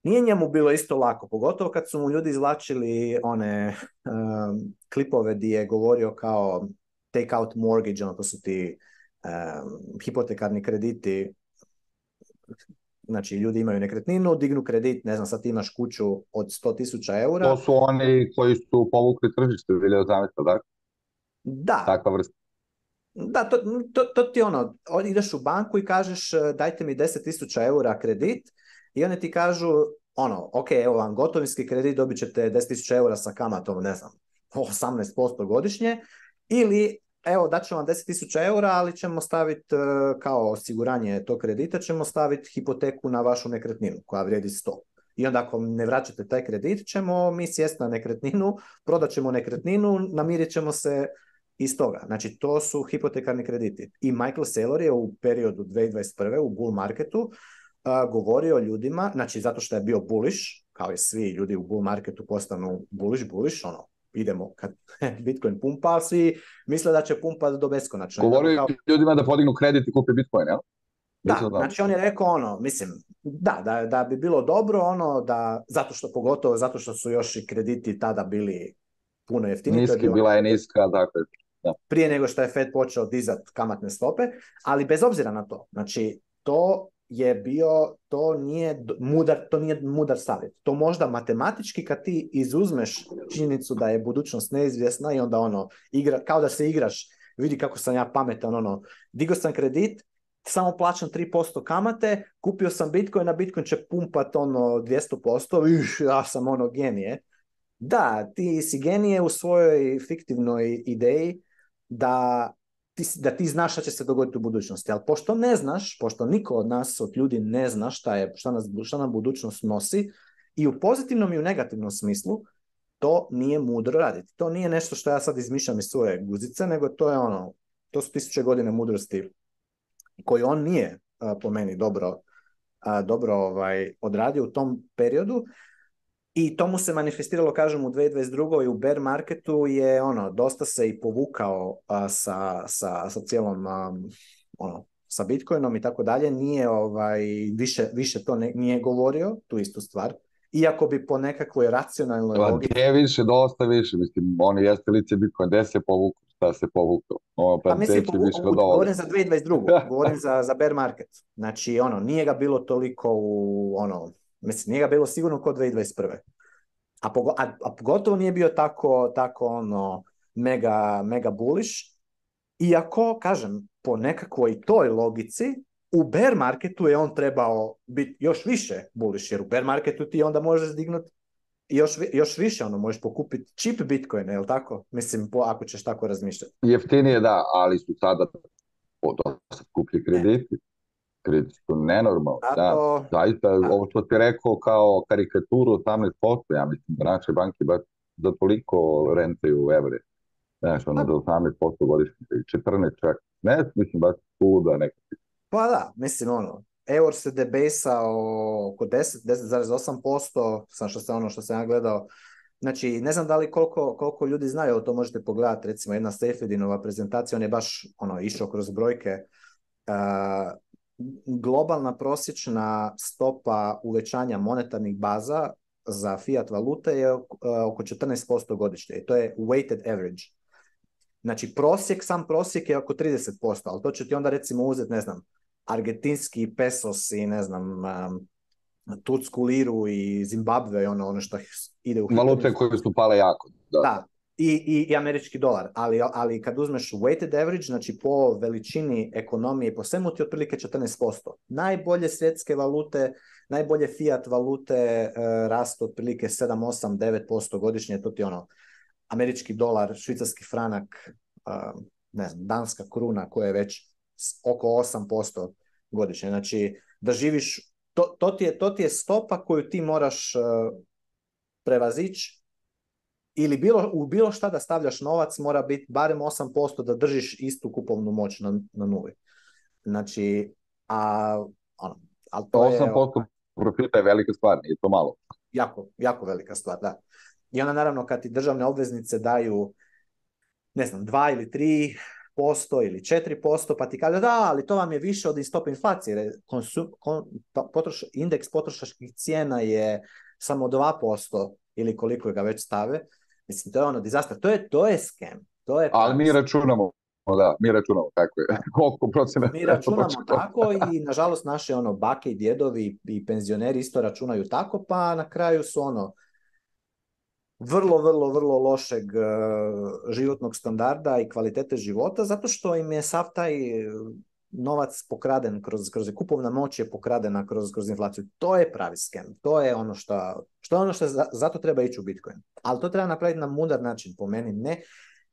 Nije njemu bilo isto lako, pogotovo kad su mu ljudi izvlačili one klipove gdje je govorio kao take out mortgage, to su ti hipotekarni krediti. Znači, ljudi imaju nekretninu, dignu kredit, ne znam, sad ti imaš kuću od 100.000 eura. To su oni koji su povukli tržište, 2018, tako? Da. Takva vrsta. Da, to ti ideš u banku i kažeš dajte mi 10.000 eura kredit i oni ti kažu ok, evo vam gotovinski kredit, dobit ćete 10.000 eura sa kamatom, ne znam, 18% godišnje, ili evo daću vam 10.000 eura, ali ćemo staviti kao osiguranje tog kredita, ćemo staviti hipoteku na vašu nekretninu koja vrijedi 100. I onda ako ne vraćate taj kredit, ćemo mi sjesti na nekretninu, prodat ćemo nekretninu, namirit ćemo se iz toga. Znači, to su hipotekarni krediti. I Michael Saylor je u periodu 2021. u bull marketu govorio ljudima, znači zato što je bio bullish, kao i svi ljudi u bull marketu postanu bullish, idemo kad Bitcoin pumpa, svi misle da će pumpati do beskonačno. Govorio ljudima da podignu kredit i kupi Bitcoin, jel? Da, znači on je rekao da bi bilo dobro pogotovo zato što su još i krediti tada bili puno jeftiniji. Bila je niska, dakle. Da. Prije nego što je Fed počeo dizati kamatne stope, ali bez obzira na to, znači to je bio, to nije mudar savjet. To možda matematički kad ti izuzmeš činjenicu da je budućnost neizvjesna i onda kao da se igraš, vidi kako sam ja pametan, digao sam kredit, samo plaćam 3% kamate, kupio sam Bitcoin, a Bitcoin će pumpat 200%, ja sam genije. Da, ti si genije u svojoj fiktivnoj ideji da ti znaš šta će se dogoditi u budućnosti, ali pošto ne znaš, pošto niko od nas, od ljudi ne zna šta nam budućnost nosi, i u pozitivnom i u negativnom smislu, to nije mudro raditi. To nije nešto što ja sad izmišljam iz svoje guzice, nego to je to su 1000 godine mudrosti koju on nije po meni dobro odradio u tom periodu. I to mu se manifestiralo, kažem, u 2022. i u bear marketu je dosta se i povukao sa cijelom sa Bitcoinom i tako dalje. Nije više to nije govorio, tu istu stvar. Iako bi po nekakvoj racionalnoj logici... Gdje više, dosta više. Mislim, oni jeste lice Bitcoin, gde se povukao, šta se povukao. Pa mislim, govorim za 2022. Govorim za bear market. Znači, nije ga bilo toliko mislim, nije ga bilo sigurno kod 2021. A pogotovo nije bio tako mega bullish. Iako, kažem, po nekakvoj toj logici, u bear marketu je on trebao biti još više bullish, jer u bear marketu ti onda možeš dignuti još više, možeš pokupiti cheap Bitcoin, je li tako? Mislim, ako ćeš tako razmišljati. Jeftinije, da, ali su sada dosta skuplji krediti. Krediti su nenormalni, da. Zaista, ovo što ti rekao kao karikaturu 18%, ja mislim da naše banke baš za toliko rentaju u evre. Znaš, za 18% godišnje, 14 čak. Ne, mislim, baš čuda nekako. Pa da, mislim, eur se debasao oko 10,8%, što sam ja gledao. Znači, ne znam da li koliko ljudi znaju, to možete pogledati, recimo jedna Seyfriedinova prezentacija, on je baš išao kroz brojke. Globalna prosječna stopa uvećanja monetarnih baza za fiat valute je oko 14% godišnje. I to je weighted average. Znači, sam prosjek je oko 30%, ali to će ti onda recimo uzeti, ne znam, argentinski pesos i ne znam, tursku liru i Zimbabve i ono što ide u... Valute koje su pale jako. Da. I američki dolar, ali kad uzmeš weighted average, znači po veličini ekonomije, po svemu ti otprilike 14%. Najbolje svjetske valute, najbolje fiat valute rastu otprilike 7, 8, 9% godišnje, to ti američki dolar, švicarski franak, ne znam, danska kruna koja je već oko 8% godišnje. Znači, da živiš, to ti je stopa koju ti moraš prevazići, ili bilo šta da stavljaš novac mora biti barem 8% da držiš istu kupovnu moć na nuli. Znači, ali to 8% profita je velika stvar, nije to malo. Jako, jako velika stvar, da. I onda naravno kad ti državne obveznice daju, ne znam, 2 ili 3% ili 4%, pa ti kaže da, ali to vam je više od stope inflacije. Indeks potrošačkih cijena je samo 2% ili koliko ga već stave. Mislim, to je disaster. To je scam. Ali mi računamo tako je. Koliko procena? Mi računamo tako i nažalost naše bake i djedovi i penzioneri isto računaju tako, pa na kraju su vrlo, vrlo, vrlo lošeg životnog standarda i kvalitete života, zato što im je sav taj novac pokraden, kroz kupovna moć je pokradena kroz inflaciju. To je pravi scam. To je što zato treba ići u Bitcoin. Ali to treba napraviti na mudar način, po meni. Ne,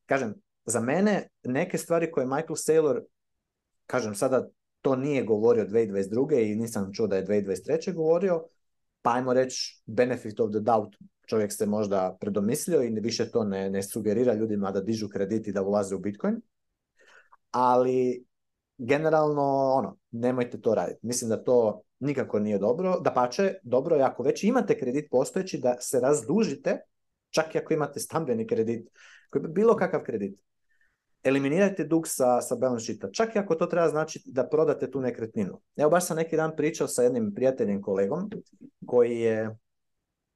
kažem, za mene neke stvari koje Michael Saylor, kažem sada, to nije govorio 2022. i nisam čuo da je 2023. govorio, pa ajmo reći benefit of the doubt, čovjek se možda predomislio i više to ne sugerira ljudima da dižu kredit i da ulaze u Bitcoin, ali generalno, nemojte to raditi. Mislim da to nikako nije dobro. Dapače, dobro je ako već imate kredit postojeći da se razdužite, čak i ako imate stambeni kredit, bilo kakav kredit. Eliminirajte dug sa balance sheeta, čak i ako to treba znači da prodate tu nekretninu. Evo, baš sam neki dan pričao sa jednim prijateljem, kolegom, koji je,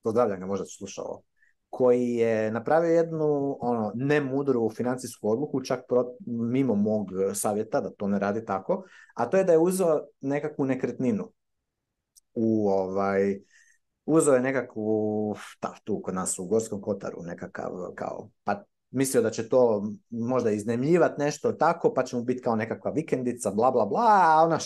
pozdravljam ga, možda ću slušao, koji je napravio jednu nemudru financijsku odluku, čak mimo mog savjeta da to ne radi tako, a to je da je uzeo nekakvu nekretninu uzeo je nekakvu, tu kod nas u Gorskom Kotaru, nekakav kao, pa mislio da će to možda iznajmljivati nešto tako, pa će mu biti kao nekakva vikendica, bla, bla, bla, a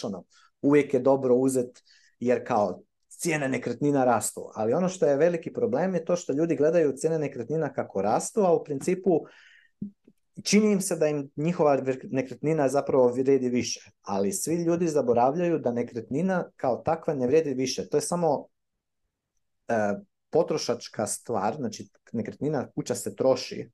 uvijek je dobro uzeti, jer kao cijene nekretnina rastu. Ali ono što je veliki problem je to što ljudi gledaju cijene nekretnina kako rastu, a u principu čini im se da im njihova nekretnina zapravo vrijedi više. Ali svi ljudi zaboravljaju da nekretnina kao takva ne vrijedi više. To je samo potrošačka stvar, znači nekretnina, kuća se troši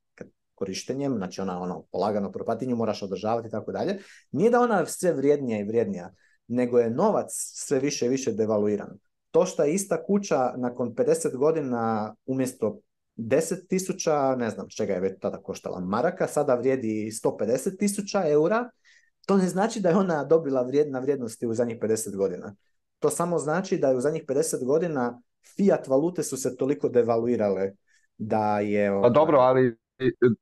korištenjem, znači ona polagano propati, nju moraš održavati i tako dalje. Nije da ona sve vrijednija i vrijednija, nego je novac sve više i više devaluiran. To što je ista kuća nakon 50 godina umjesto 10.000, ne znam čega je već tada koštala maraka, sada vrijedi 150.000 eura, to ne znači da je ona dobila na vrijednosti u zadnjih 50 godina. To samo znači da je u zadnjih 50 godina fiat valute su se toliko devaluirale da je... Pa dobro, ali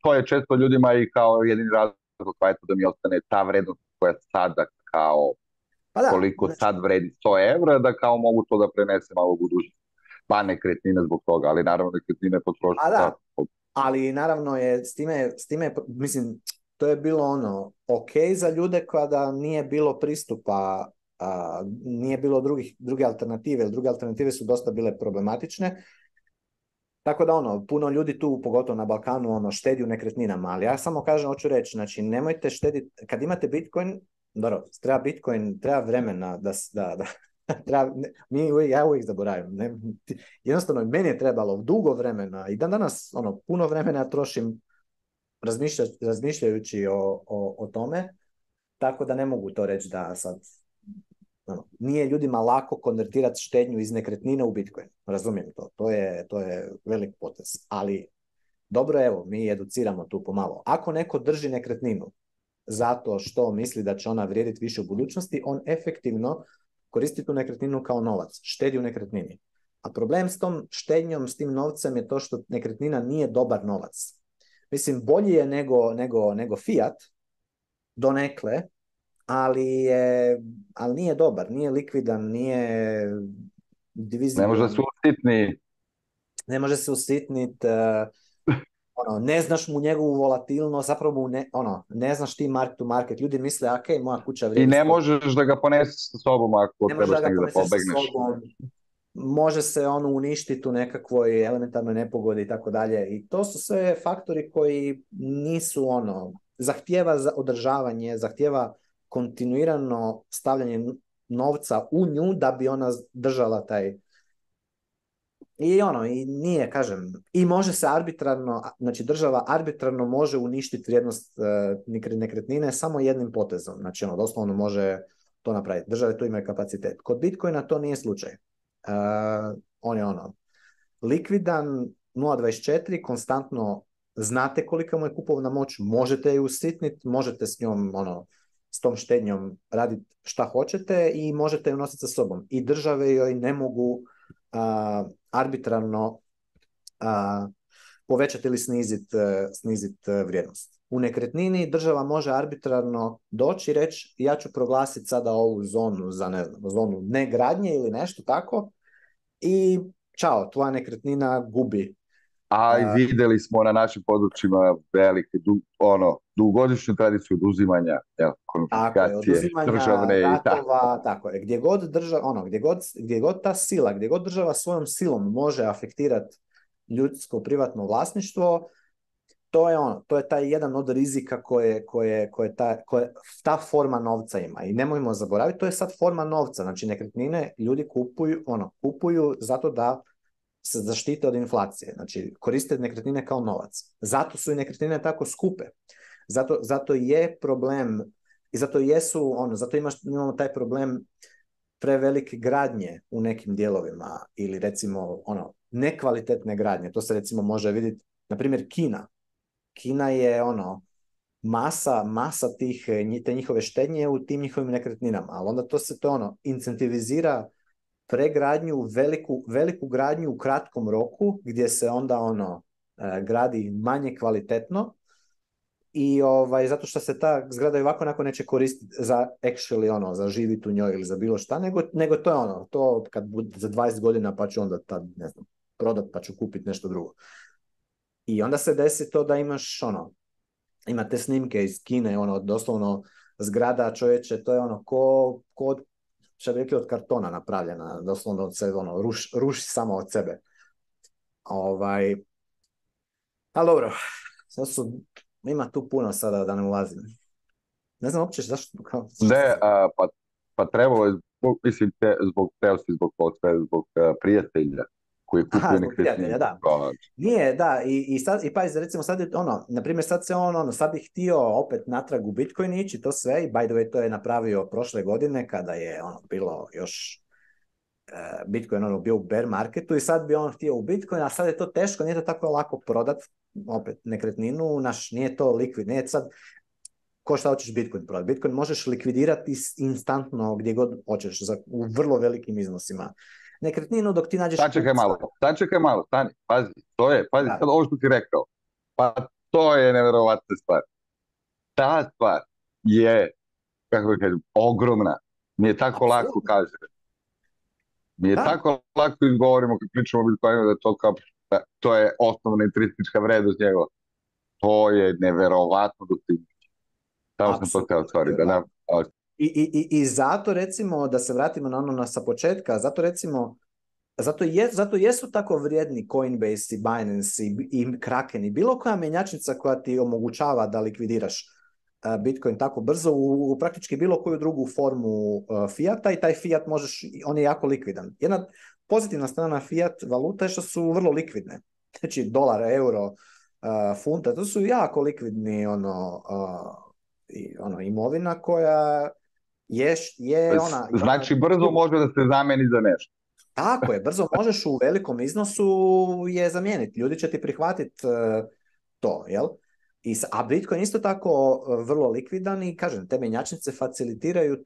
to je često ljudima i kao jedini razlog da mi ostane ta vrednost koja sada kao pa da, koliko sad vredi 100 evra, da kao mogu to da prenese malo u budućnost. Pa nekretnine zbog toga, ali naravno nekretnine potroši. Ali naravno je s time, mislim, to je bilo ok za ljude kada nije bilo pristupa, nije bilo druge alternative, druge alternative su dosta bile problematične. Tako da puno ljudi tu, pogotovo na Balkanu, štedi u nekretninama, ali ja samo kažem, hoću reći, znači nemojte štediti, kad imate Bitcoin, dobro, treba Bitcoin, treba vremena da ja uvijek zaboravim. Jednostavno, meni je trebalo dugo vremena i dan danas puno vremena trošim razmišljajući o tome, tako da ne mogu to reći da sad nije ljudima lako konvertirati štednju iz nekretnine u Bitcoin. Razumijem to. To je velik potez. Ali dobro, evo, mi educiramo tu pomalo. Ako neko drži nekretninu zato što misli da će ona vrijediti više u budućnosti, on efektivno koristi tu nekretninu kao novac, štedi u nekretnini. A problem s tom štednjom, s tim novcem je to što nekretnina nije dobar novac. Mislim, bolji je nego fiat, donekle, ali nije dobar, nije likvidan, nije ne može se usitniti. Ne može se usitniti, ne znaš mu njegovu volatilnost, zapravo ne znaš ti mark to market. Ljudi misle, ok, moja kuća vrijedi. I ne možeš da ga poneseš sa sobom ako trebaš negdje da pobegneš. Može se uništiti u nekakvoj elementarnoj nepogodi i tako dalje. I to su sve faktori koji nisu zahtijeva za održavanje, zahtijeva kontinuirano stavljanje novca u nju da bi ona držala taj. I nije, kažem, i može se arbitrarno, znači država arbitrarno može uništiti vrijednost nekretnine samo jednim potezom. Znači doslovno može to napraviti. Države tu imaju kapacitet. Kod Bitcoina to nije slučaj. On je likvidan, 0.24, konstantno znate kolika mu je kupovna moć, možete ju usitniti, možete s njom, s tom štednjom raditi šta hoćete i možete ju nositi sa sobom. I države joj ne mogu arbitrarno povećati ili sniziti vrijednost. U nekretnini država može arbitrarno doći i reći ja ću proglasiti sada ovu zonu za zonu negradnje ili nešto tako i čao, tvoja nekretnina gubi. A vidjeli smo na našim područjima velike, dugogodišnju tradiciju oduzimanja konfiskacije državne i ratova, tako je. Gdje god ta sila, gdje god država svojom silom može afektirati ljudsko privatno vlasništvo, to je taj jedan od rizika koje ta forma novca ima. I nemojmo zaboraviti, to je sad forma novca. Znači nekretnine ljudi kupuju zato da se zaštite od inflacije. Znači koriste nekretnine kao novac. Zato su i nekretnine tako skupe. Zato je problem i zato imamo taj problem prevelike gradnje u nekim dijelovima ili recimo nekvalitetne gradnje. To se recimo može vidjeti, na primjer Kina. Kina je masa te njihove štednje u tim njihovim nekretninama, ali onda to incentivizira pregradnju, veliku gradnju u kratkom roku, gdje se onda gradi manje kvalitetno i zato što se ta zgrada i ovako onako neće koristiti za actually za živjeti u njoj ili za bilo šta, nego to je to kad bude za 20 godina pa ću onda tad, ne znam, prodat pa ću kupiti nešto drugo. I onda se desi to da imaš imate snimke iz Kine, doslovno zgrada čovječe, to je ko što bi rekli od kartona napravljena, doslovno se ruši samo od sebe. Ali dobro, ima tu puno sada da ne ulazim. Ne znam uopće zašto. Ne, pa trebalo je zbog zbog prijatelja koji kupuje nekretnine. Da. Nije, da, i pazi, recimo sad je na primjer sad se sad bi htio opet natrag u Bitcoin ići, to sve, i by the way to je napravio prošle godine kada je bilo još Bitcoin bio u bear marketu i sad bi on htio u Bitcoin, a sad je to teško, nije to tako lako prodat opet nekretninu, nije to likvid, nije sad ko šta hoćeš Bitcoin prodati. Bitcoin možeš likvidirati instantno gdje god hoćeš, u vrlo velikim iznosima. Nekretninu dok ti nađeš... Sačekaj malo, stani, pazi, sad ovo što ti rekao, pa to je nevjerovatna stvar. Ta stvar je, kako da kažem, ogromna, mi je tako lako kažem. Mi je tako lako izgovorimo kad pričamo o Bitcoinu da to je osnovna intrinzička vrednost njegova. To je nevjerovatno dok ti tamo sam to teo stvari, da nam... I zato recimo, da se vratimo na sa početka, zato jesu tako vrijedni Coinbase i Binance i Kraken i bilo koja mjenjačnica koja ti omogućava da likvidiraš Bitcoin tako brzo u praktički bilo koju drugu formu fijata, i taj fijat on je jako likvidan. Jedna pozitivna strana fijat valuta je što su vrlo likvidne. Znači dolar, euro, funta, to su jako likvidni imovina koja je Znači brzo može da se zameni za nešto. Tako je, brzo možeš u velikom iznosu je zamijeniti. Ljudi će ti prihvatiti to, jel? A Bitcoin isto tako vrlo likvidan i, kažem, te mjenjačnice facilitiraju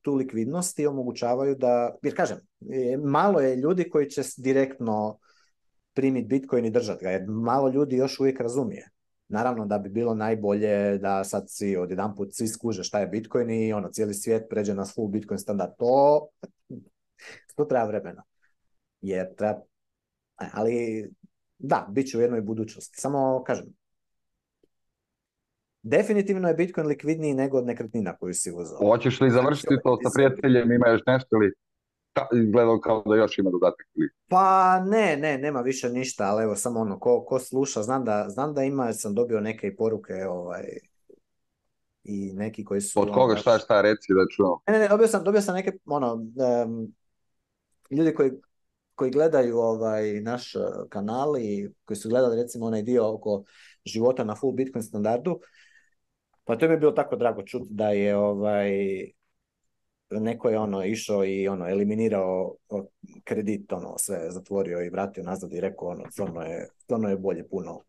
tu likvidnost i omogućavaju da, jer kažem, malo je ljudi koji će direktno primiti Bitcoin i držati ga, jer malo ljudi još uvijek razumije. Naravno da bi bilo najbolje da sad odjedanput svi skuže šta je Bitcoin i cijeli svijet pređe na full Bitcoin standard. To treba vremena. Ali da, bit će u jednoj budućnosti. Samo kažem, definitivno je Bitcoin likvidniji nego od nekretnina koju si uzeo. Hoćeš li završiti to sa prijateljem, ima još nešto ili izgledao kao da još ima dodatak? Pa nema više ništa, ali evo samo ko sluša, znam da ima, sam dobio neke poruke i neki koji su... Od koga šta reci da čujem? Ne, dobio sam neke ljudi koji gledaju naš kanal i koji su gledali recimo onaj dio oko života na full Bitcoin standardu, pa to mi je bilo tako drago čuti da je neko je išao i eliminirao kredit, sve zatvorio i vratio nazad i rekao stvarno je bolje puno.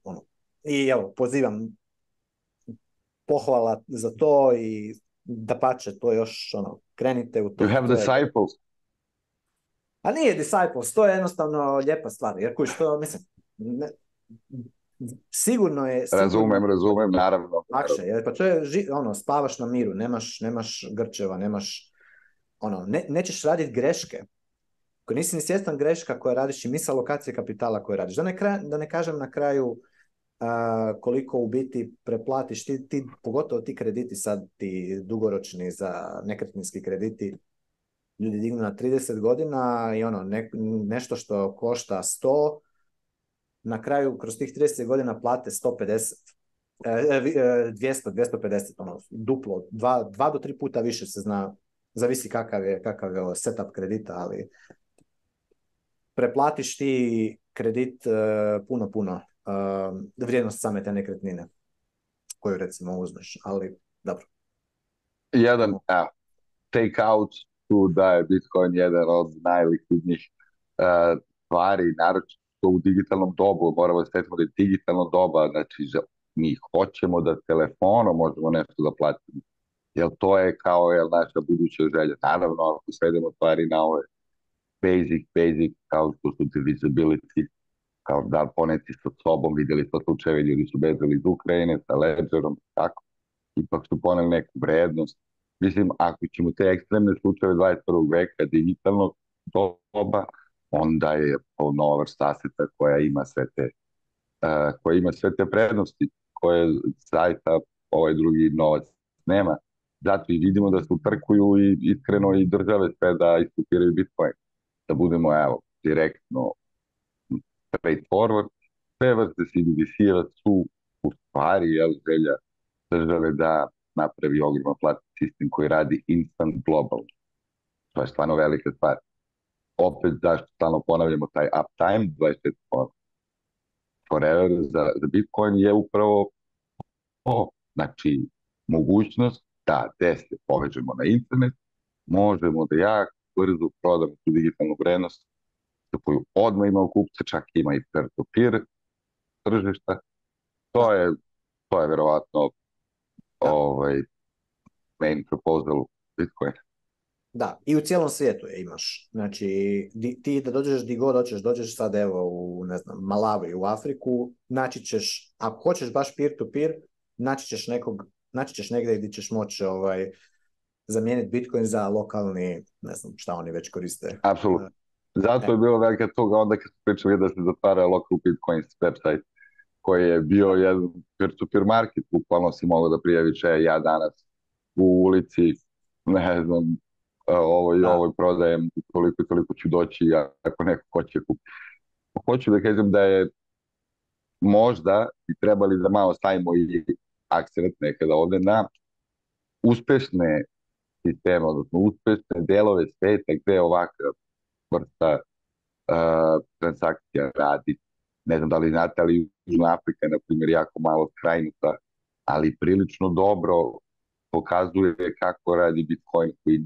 I evo, pozivam, pohvala za to i dapače, to još krenite u to. You have disciples. A nije disciples, to je jednostavno lijepa stvar, jer što mislim, sigurno je... Razumem, naravno. Lakše, jer pa to je, spavaš na miru, nemaš grčeva, nećeš raditi greške. Ako nisi ni svjestan greška koje radiš i misla alokacije kapitala koje radiš. Da ne kažem na kraju koliko u biti preplatiš, ti, pogotovo ti krediti sad, ti dugoročni za nekretninski krediti, ljudi dignu na 30 godina i nešto što košta 100, na kraju kroz tih 30 godina plate 150. 250, duplo, 2 do 3 puta više se zna, zavisi kakav je setup kredita, ali preplatiš ti kredit puno vrijednost same te nekretnine koju recimo uzmeš, ali dobro. Jedan take out tu da je Bitcoin jedan od najlikvidnijih stvari, naročito u digitalnom dobu, moramo sjetiti da je digitalno doba, znači mi hoćemo da telefonom možemo nešto da platimo, jer to je kao naša buduća želja. Naravno, ako svedemo stvari na ove basic, kao što su divisibility, kao da li poneti sa sobom, vidjeli smo slučajeve, ljudi su bezali iz Ukrajine sa Ledgerom, tako, ipak su poneli neku vrednost. Mislim, ako ćemo te ekstremne slučajeve 21. veka digitalnog doba, onda je to nova vrsta aseta koja ima sve te prednosti koje zaista ovaj drugi novac nema. Zato i vidimo da se utrkuju i iskreno i države sve da iskupiraju Bitcoin. Da budemo, evo, direktno straightforward, sve vrste CBDC-eva su u stvari želja države da napravi ogroman platni sistem koji radi instant global. To je stvarno velika stvar. Opet, zašto stalno ponavljamo taj uptime, 24 forever za Bitcoin je upravo to. Znači, mogućnost da se povežemo na internet, možemo da jako brzo prodamo tu digitalnu vrednost za koju odmah ima kupce, čak ima i peer-to-peer tržišta. To je verovatno main proposal Bitcoin. Da, i u cijelom svijetu je imaš. Znači, ti da dođeš di god hoćeš, dođeš sad evo u, ne znam, Malawi, u Afriku, naći ćeš, ako hoćeš baš peer-to-peer, naći ćeš negdje gdje ćeš moći zamijeniti Bitcoin za lokalni, ne znam šta oni već koriste. Apsolutno. Zato je bilo velika toga onda kad su pričali da se zatvara local Bitcoin website koji je bio jedan peer-to-peer market, bukvalno si mogao da prijaviš ja danas u ulici, ne znam, ovo prodajem, toliko ću doći ako neko hoće kupiti. Hoću da kažem da je možda i trebali da malo stavimo i akcent nekada ovde na uspešne sisteme, odnosno uspešne delove sveta gde ovakva vrsta transakcija radi. Ne znam da li znate, ali Južna Afrika je, na primjer, jako malo skrajnuta, ali prilično dobro pokazuje kako radi Bitcoin koji